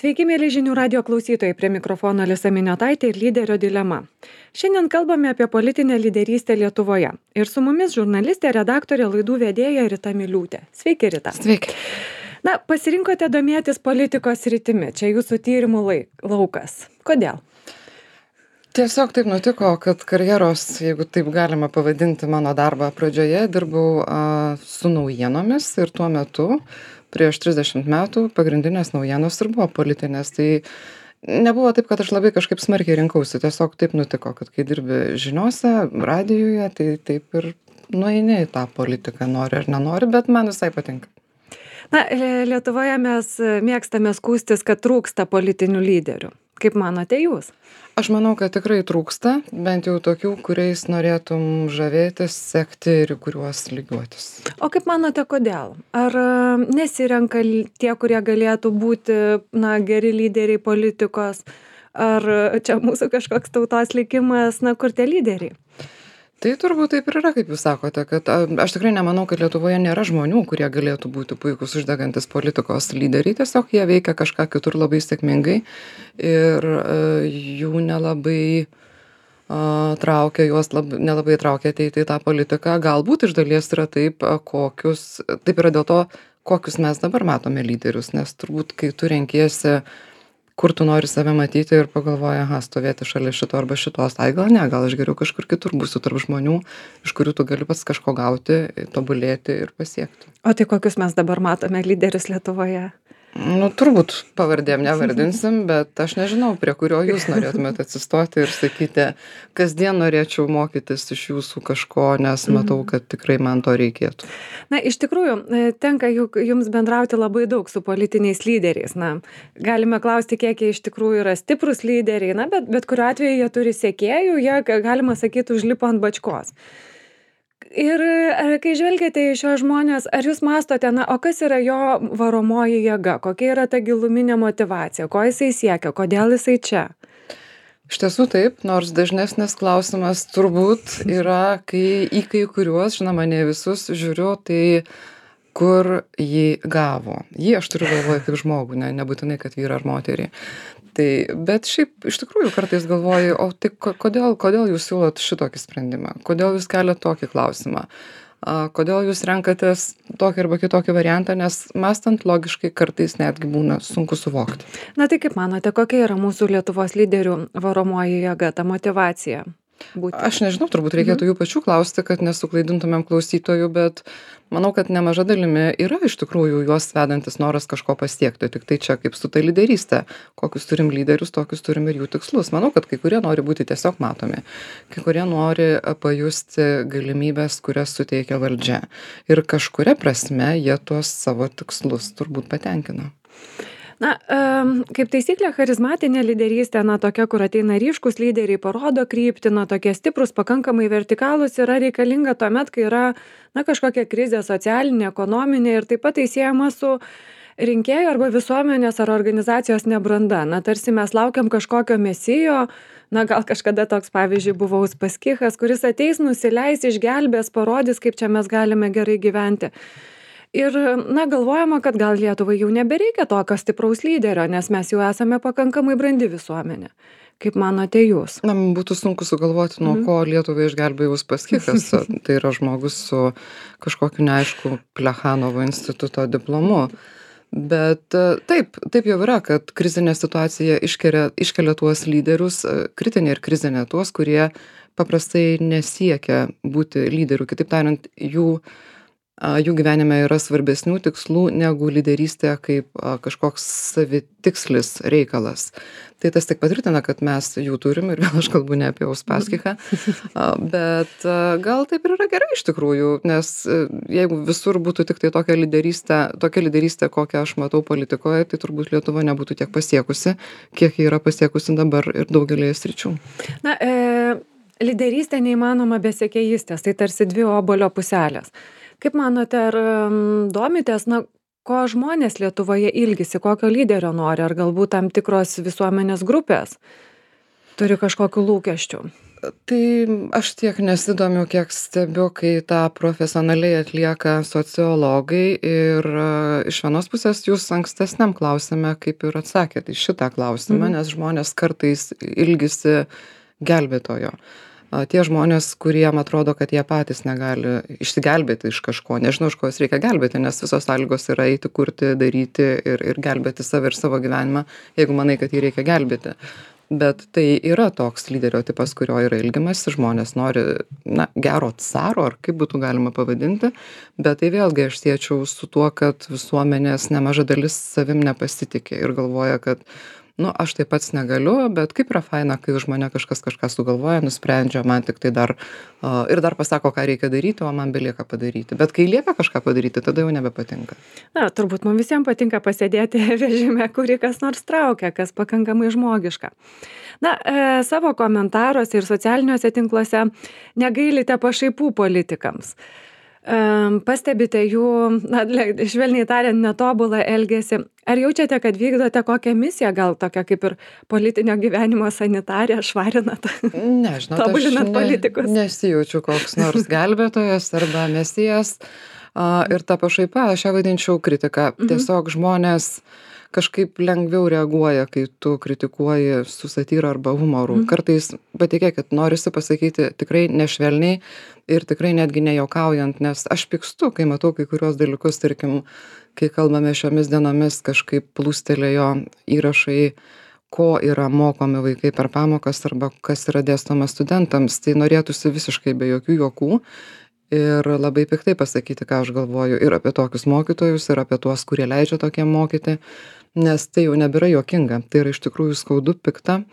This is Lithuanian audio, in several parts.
Sveiki, mėly žinių radio klausytojai, prie mikrofono Alisa Miniotaitė ir lyderio dilema. Šiandien kalbame apie politinę lyderystę Lietuvoje. Ir su mumis žurnalistė, redaktorė, laidų vedėja Rita Miliūtė. Sveiki, Rita. Sveiki. Na, pasirinkote domėtis politikos sritimi. Čia jūsų tyrimų laukas. Kodėl? Tiesiog taip nutiko, kad karjeros, jeigu taip galima pavadinti mano darbą pradžioje, dirbau su naujienomis ir tuo metu, prieš 30 metų, pagrindinės naujienos ir buvo politinės. Tai nebuvo taip, kad aš labai kažkaip smarkiai rinkausi. Tiesiog taip nutiko, kad kai dirbi žiniose, radijuje, tai taip ir nueini į tą politiką, nori ar nenori, bet man visai patinka. Na, Lietuvoje mes mėgstame skųstis, kad trūksta politinių lyderių. Kaip manote jūs? Aš manau, kad tikrai trūksta, bent jau tokių, kuriais norėtum žavėtis, sekti ir į kuriuos lygiuotis. O kaip manote, kodėl? Ar nesirenka tie, kurie galėtų būti geri lyderiai politikos? Ar čia mūsų kažkoks tautos likimas, kur tie lyderiai? Tai turbūt taip ir yra, kaip jūs sakote, kad aš tikrai nemanau, kad Lietuvoje nėra žmonių, kurie galėtų būti puikūs uždegantis politikos lyderiai, tiesiog jie veikia kažką kitur labai sėkmingai ir jų nelabai traukia, nelabai traukia ateiti į tą politiką. Galbūt iš dalies yra taip yra dėl to, kokius mes dabar matome lyderius, nes turbūt, kai tu renkiesi, kur tu nori save matyti ir pagalvoji, stovėti šalia šito arba šitos, gal aš geriau kažkur kitur būsiu tarp žmonių, iš kurių tu gali pats kažko gauti, tobulėti ir pasiekti. O tai kokius mes dabar matome lyderius Lietuvoje? Turbūt pavardėm nevardinsim, bet aš nežinau, prie kurio jūs norėtumėte atsistoti ir sakyti, kasdien norėčiau mokytis iš jūsų kažko, nes matau, kad tikrai man to reikėtų. Na, iš tikrųjų, tenka jums bendrauti labai daug su politiniais lyderiais. Galime klausti, kiek jie iš tikrųjų yra stiprus lyderiai, bet kuriuo atveju jie turi sekėjų, jie, galima sakyti, užlipo ant bačkos. Ir kai žvelgiate į šios žmonės, ar jūs mąstote, o kas yra jo varomoji jėga, kokia yra ta giluminė motyvacija, ko jisai siekia, kodėl jisai čia? Iš tiesų taip, nors dažnesnis klausimas turbūt yra, kai į kai kuriuos, žinoma, ne visus žiūriu, tai kur jį gavo. Jį aš turiu galvoje kaip žmogų, nebūtinai, kad vyrą ar moterį. Bet šiaip iš tikrųjų kartais galvoju, o tai kodėl jūs siūlot šitokį sprendimą? Kodėl jūs keliat tokį klausimą? Kodėl jūs renkatės tokį arba kitokį variantą, nes mąstant logiškai kartais netgi būna sunku suvokti. Na tai kaip manote, kokia yra mūsų Lietuvos lyderių varomoji jėga, ta motyvacija? Aš nežinau, turbūt reikėtų jų pačių klausti, kad nesuklaidintumėm klausytojų, bet manau, kad nemaža dalimi yra iš tikrųjų juos vedantis noras kažko pasiekti. Tik tai čia kaip su ta lyderystė. Kokius turim lyderius, tokius turim ir jų tikslus. Manau, kad kai kurie nori būti tiesiog matomi. Kai kurie nori pajusti galimybės, kurias suteikia valdžia. Ir kažkuria prasme jie tuos savo tikslus turbūt patenkina. Na, kaip taisyklė, charizmatinė lyderystė, tokia, kur ateina ryškus lyderiai, parodo kryptį, tokie stiprus, pakankamai vertikalūs, yra reikalinga tuomet, kai yra, kažkokia krizė socialinė, ekonominė ir taip pat tai siejama su rinkėjų arba visuomenės ar organizacijos nebranda. Tarsi mes laukiam kažkokio mesijo, gal kažkada toks, pavyzdžiui, buvo Uspaskichas, kuris ateis, nusileis, išgelbės, parodys, kaip čia mes galime gerai gyventi. Ir, galvojama, kad gal Lietuvai jau nebereikia tokio stipraus lyderio, nes mes jau esame pakankamai brandi visuomenė. Kaip manote jūs? Būtų sunku sugalvoti, nuo ko Lietuvai išgelbėjo Uspaskichas. Tai yra žmogus su kažkokiu neaišku Plechanovo instituto diplomu. Bet taip jau yra, kad krizinė situacija iškelia tuos lyderius, kritinė ir krizinė tuos, kurie paprastai nesiekia būti lyderių. Kitaip tariant, jų gyvenime yra svarbesnių tikslų negu lyderystė kaip kažkoks savitikslis reikalas. Tai tas tik patvirtina, kad mes jų turim ir vėl aš kalbu ne apie Uspaskichą, bet gal taip ir yra gerai iš tikrųjų, nes jeigu visur būtų tik tai tokia lyderystė, kokią aš matau politikoje, tai turbūt Lietuva nebūtų tiek pasiekusi, kiek ji yra pasiekusi dabar ir daugelėje sričių. Lyderystė neįmanoma be sekėjystės, tai tarsi dvi obuolio puselės. Kaip manote, ar domitės, ko žmonės Lietuvoje ilgisi, kokio lyderio nori, ar galbūt tam tikros visuomenės grupės turi kažkokių lūkesčių? Tai aš tiek nesidomiu, kiek stebiu, kai tą profesionaliai atlieka sociologai ir iš vienos pusės jūs ankstesniam klausime kaip ir atsakėte į šitą klausimą, nes žmonės kartais ilgisi gelbėtojo. Tie žmonės, kuriem atrodo, kad jie patys negali išsigelbėti iš kažko, nežinau, iš ko juos reikia gelbėti, nes visos sąlygos yra eiti, kurti, daryti ir gelbėti save ir savo gyvenimą, jeigu manai, kad jį reikia gelbėti. Bet tai yra toks lyderio tipas, kurio yra ilgimasi, žmonės nori, gero caro, ar kaip būtų galima pavadinti, bet tai vėlgi aš siečiau su tuo, kad visuomenės nemaža dalis savim nepasitikė ir galvoja, kad aš tai pats negaliu, bet kaip yra faina, kai už mane kažkas kažką sugalvoja, nusprendžia, man tik tai dar ir dar pasako, ką reikia daryti, o man belieka padaryti. Bet kai liepia kažką padaryti, tada jau nebepatinka. Turbūt mums visiems patinka pasėdėti vežime, kurį kas nors traukia, kas pakankamai žmogiška. Savo komentaruose ir socialiniuose tinkluose negailite pašaipų politikams. Pastebite jų, švelniai tariant, netobulą elgesį. Ar jaučiate, kad vykdote kokią misiją, gal tokią kaip ir politinio gyvenimo sanitarę, švarinat, tobulinat politikus? Nesijaučiu koks nors gelbėtojas arba mesijas. Ir tą pašaipą aš ją vadinčiau kritiką. Tiesiog žmonės kažkaip lengviau reaguoja, kai tu kritikuoji su satyra arba humoru. Kartais, patikėkit, norisi pasakyti tikrai nešvelniai ir tikrai netgi nejuokaujant, nes aš pykstu, kai matau kai kurios dalykus, tarkim, kai kalbame šiomis dienomis, kažkaip plūstelėjo įrašai, ko yra mokomi vaikai per pamokas arba kas yra dėstoma studentams, tai norėtųsi visiškai be jokių juokų ir labai piktai pasakyti, ką aš galvoju ir apie tokius mokytojus, ir apie tuos, kurie leidžia tokiem mokyti, nes tai jau nebėra juokinga, tai yra iš tikrųjų skaudu, pikta,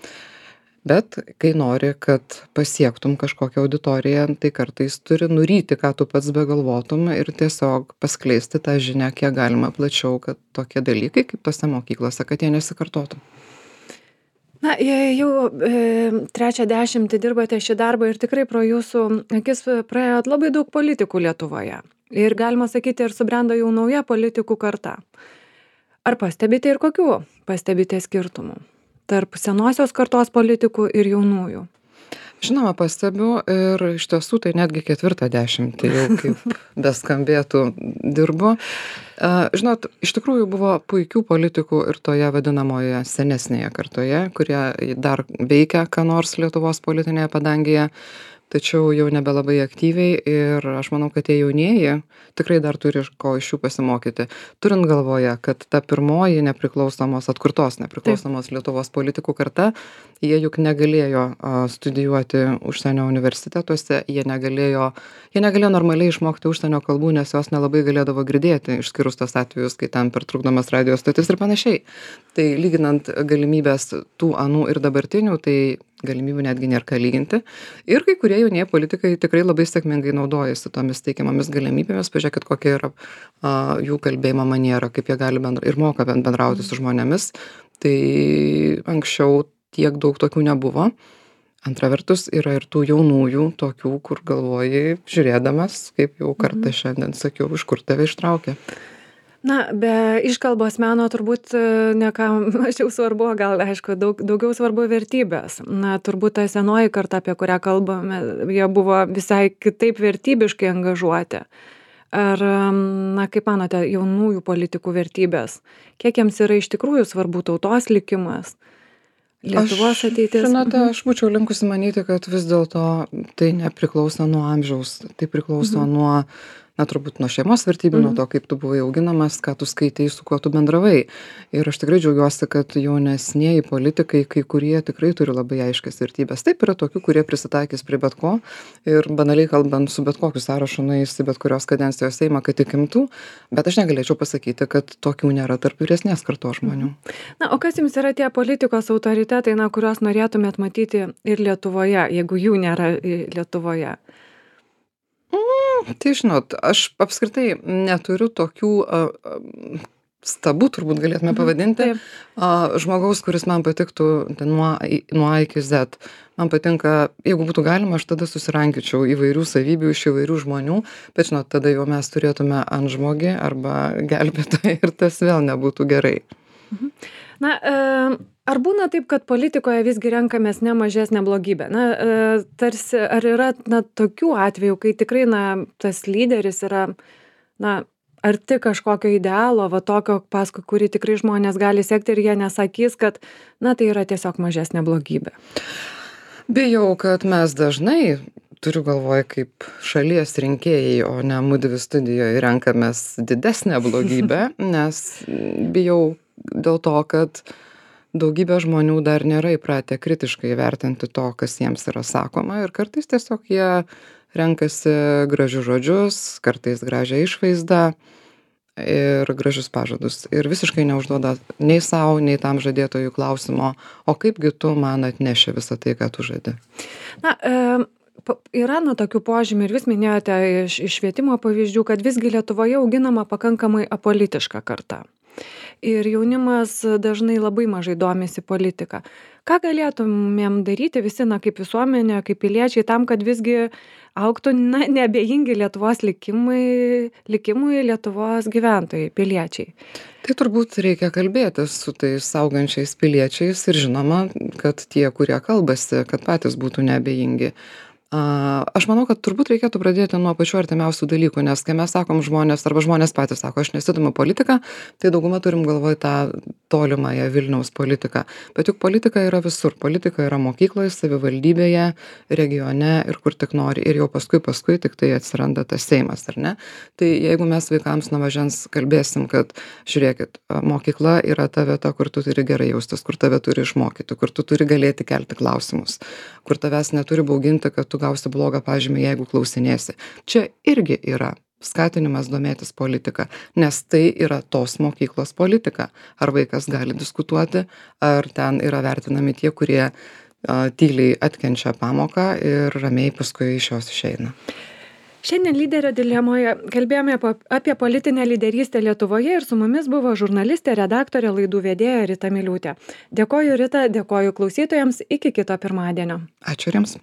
bet kai nori, kad pasiektum kažkokią auditoriją, tai kartais turi nuryti, ką tu pats begalvotum ir tiesiog paskleisti tą žinią, kiek galima plačiau, kad tokie dalykai kaip tose mokyklose, kad jie nesikartotų. Jau trečią dešimtį dirbate šį darbą ir tikrai pro jūsų akis praėjo labai daug politikų Lietuvoje. Ir galima sakyti, ir subrendo jau nauja politikų karta. Ar pastebite ir kokių pastebite skirtumų tarp senosios kartos politikų ir jaunųjų? Žinoma, pastebiu ir iš tiesų tai netgi ketvirtą dešimtį jau kaip beskambėtų dirbu. Žinot, iš tikrųjų buvo puikių politikų ir toje vadinamoje senesnėje kartoje, kurie dar veikia ką nors Lietuvos politinėje padangėje, tačiau jau nebelabai aktyviai ir aš manau, kad tie jaunieji tikrai dar turi ko iš jų pasimokyti. Turint galvoje, kad ta pirmoji atkurtos nepriklausomos Lietuvos politikų karta, jie juk negalėjo studijuoti užsienio universitetuose, jie negalėjo normaliai išmokti užsienio kalbų, nes jos nelabai galėdavo girdėti, išskyrus tos atvejus, kai ten pertrukdomas radijo stotis ir panašiai. Tai lyginant galimybės tų anų ir dabartinių, tai galimybių netgi nėra ką lyginti. Ir kai kurie jaunieji politikai tikrai labai sėkmingai naudojasi tomis teikiamomis galimybėmis. Pažiūrėkit, kokia yra jų kalbėjimo maniera, kaip jie gali ir moka bendrauti su žmonėmis. Tai anksčiau tiek daug tokių nebuvo. Antra vertus, yra ir tų jaunųjų tokių, kur galvoji, žiūrėdamas, kaip jau kartą šiandien sakiau, iš kur tave ištraukė. Be iškalbos meno turbūt ne ką mažiau svarbu, gal aišku, daugiau svarbu vertybės. Turbūt ta senoji karta, apie kurią kalbame, jie buvo visai kitaip vertybiškai angažuoti. Ar, kaip manote, jaunųjų politikų vertybės? Kiek jiems yra iš tikrųjų svarbu tautos likimas? Lietuvos ateitis? Žinote, aš būčiau linkusi manyti, kad vis dėlto tai nepriklauso nuo amžiaus, tai priklauso nuo turbūt nuo šeimos vertybių, nuo to, kaip tu buvai auginamas, ką tu skaitai, su kuo tu bendravai. Ir aš tikrai džiaugiuosi, kad jaunesnieji politikai, kai kurie tikrai turi labai aiškias vertybės. Taip yra tokių, kurie prisitaikys prie bet ko ir banaliai kalbant su bet kokiu sąrašu nueis į bet kurios kadencijos seimą, kad įkimtų, bet aš negalėčiau pasakyti, kad tokių nėra tarp vyresnės kartos žmonių. O kas jums yra tie politikos autoritetai, kuriuos norėtumėt matyti ir Lietuvoje, jeigu jų nėra Lietuvoje? Tai žinot, aš apskritai neturiu tokių stabų, turbūt galėtume pavadinti, žmogaus, kuris man patiktų nuo A iki Z. Man patinka, jeigu būtų galima, aš tada susirankyčiau įvairių savybių iš įvairių žmonių, bet žinot, tada jau mes turėtume antžmogį arba gelbėtoją ir tas vėl nebūtų gerai. Na, ar būna taip, kad politikoje visgi renkamės ne mažesnę blogybę? Na, tarsi, ar yra, na, tokių atvejų, kai tikrai, na, tas lyderis yra, na, arti kažkokio idealo, va tokio, paskui kurį tikrai žmonės gali sekti ir jie nesakys, kad, na, tai yra tiesiog mažesnė blogybė? Bijau, kad mes dažnai, turiu galvoje kaip šalies rinkėjai, o ne mudvi studijoje renkamės didesnę blogybę, nes bijau dėl to, kad daugybė žmonių dar nėra įpratę kritiškai vertinti to, kas jiems yra sakoma ir kartais tiesiog jie renkasi gražius žodžius, kartais gražią išvaizdą ir gražius pažadus ir visiškai neužduoda nei sau, nei tam žadėtojui klausimo, o kaipgi tu man atneši visą tai, ką tu žadi. Na, yra na tokių požymių ir vis minėjote iš švietimo pavyzdžių, kad visgi Lietuvoje auginama pakankamai apolitiška karta. Ir jaunimas dažnai labai mažai domisi politika. Ką galėtumėm daryti visi, na, kaip visuomenė, kaip piliečiai, tam, kad visgi augtų, na, neabejingi Lietuvos likimui Lietuvos gyventojai, piliečiai? Tai turbūt reikia kalbėtis su tais augančiais piliečiais ir žinoma, kad tie, kurie kalbasi, kad patys būtų neabejingi. Aš manau, kad turbūt reikėtų pradėti nuo pačių artimiausių dalykų, nes kai mes sakom žmonės, arba žmonės patys sako, aš nesidomiu politiką, tai dauguma turim galvoj tą tolimąją Vilniaus politiką. Bet juk politika yra visur. Politika yra mokykloje, savivaldybėje, regione ir kur tik nori. Ir jau paskui tik tai atsiranda tas Seimas, ar ne? Tai jeigu mes vaikams nuo mažens kalbėsim, kad žiūrėkit, mokykla yra ta vieta, kur tu turi gerai jaustis, kur tave turi išmokyti, kur tu turi galėti kelti klausimus, kur tavęs neturi bauginti, kad tu gausi blogą pažymį, jeigu klausinėsi. Čia irgi yra skatinimas domėtis politika, nes tai yra tos mokyklos politika. Ar vaikas gali diskutuoti, ar ten yra vertinami tie, kurie tyliai atkenčia pamoką ir ramiai paskui iš jos išeina. Šiandien lyderio dilemoje kalbėjome apie politinę lyderystę Lietuvoje ir su mumis buvo žurnalistė, redaktorė, laidų vedėja Rita Miliūtė. Dėkoju Rita, dėkoju klausytojams, iki kito pirmadienio. Ačiū jums.